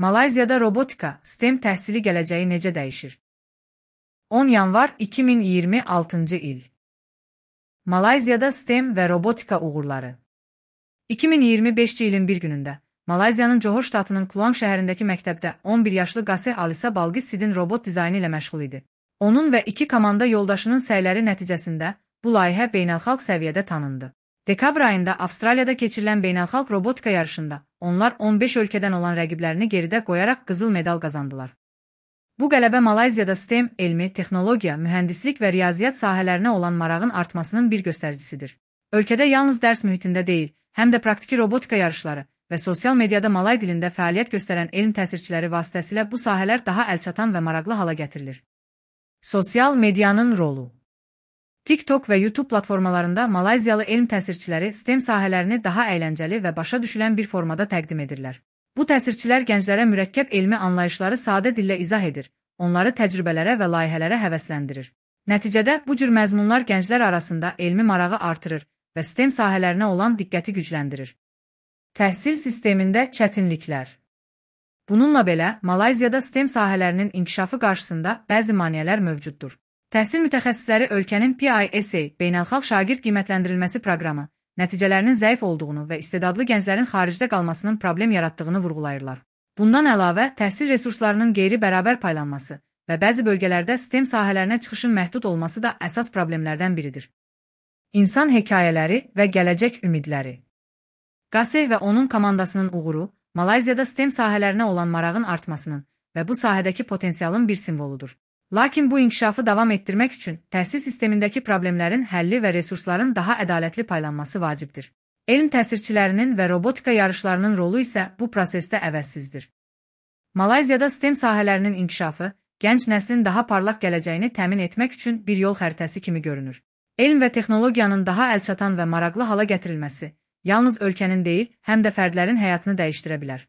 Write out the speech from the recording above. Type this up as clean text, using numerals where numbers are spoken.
Malayziyada robotika, STEM təhsili gələcəyi necə dəyişir? 10 yanvar 2026-cı il. Malayziyada STEM və robotika uğurları. 2025-ci ilin bir günündə Malayziyanın Johor ştatının Kluang şəhərindəki məktəbdə 11 yaşlı Qaseh Alisa Balqis Sidin robot dizaynı ilə məşğul idi. Onun və 2 komanda yoldaşının səyləri nəticəsində bu layihə beynəlxalq səviyyədə tanındı. Dekabr ayında Avstraliyada keçirilən beynəlxalq robotika yarışında onlar 15 ölkədən olan rəqiblərini geridə qoyaraq qızıl medal qazandılar. Bu qələbə Malayziyada STEM, elmi, texnologiya, mühəndislik və riyaziyyat sahələrinə olan marağın artmasının bir göstəricisidir. Ölkədə yalnız dərs mühitində deyil, həm də praktiki robotika yarışları və sosial mediada Malay dilində fəaliyyət göstərən elm təsirçiləri vasitəsilə bu sahələr daha əlçatan və maraqlı hala gətirilir. Sosial medianın rolu. TikTok və YouTube platformalarında Malayziyalı elm təsirçiləri STEM sahələrini daha əyləncəli və başa düşülən bir formada təqdim edirlər. Bu təsirçilər gənclərə mürəkkəb elmi anlayışları sadə dillə izah edir, onları təcrübələrə və layihələrə həvəsləndirir. Nəticədə bu cür məzmunlar gənclər arasında elmi marağı artırır və STEM sahələrinə olan diqqəti gücləndirir. Təhsil sistemində çətinliklər. Bununla belə, Malayziyada STEM sahələrinin inkişafı qarşısında bəzi maneələr mövcuddur. Təhsil mütəxəssisləri ölkənin PISA, beynəlxalq şagird qiymətləndirilməsi proqramı, nəticələrinin zəif olduğunu və istedadlı gənclərin xaricdə qalmasının problem yaratdığını vurğulayırlar. Bundan əlavə, təhsil resurslarının qeyri-bərabər paylanması və bəzi bölgələrdə STEM sahələrinə çıxışın məhdud olması da əsas problemlərdən biridir. İnsan hekayələri və gələcək ümidləri. Qaseh və onun komandasının uğuru Malayziyada STEM sahələrinə olan marağın artmasının və bu sahədəki potensialın bir simvoludur. Lakin bu inkişafı davam etdirmək üçün təhsil sistemindəki problemlərin həlli və resursların daha ədalətli paylanması vacibdir. Elm təsirçilərinin və robotika yarışlarının rolu isə bu prosesdə əvəzsizdir. Malayziyada STEM sahələrinin inkişafı gənc nəslin daha parlaq gələcəyini təmin etmək üçün bir yol xəritəsi kimi görünür. Elm və texnologiyanın daha əlçatan və maraqlı hala gətirilməsi yalnız ölkənin deyil, həm də fərdlərin həyatını dəyişdirə bilər.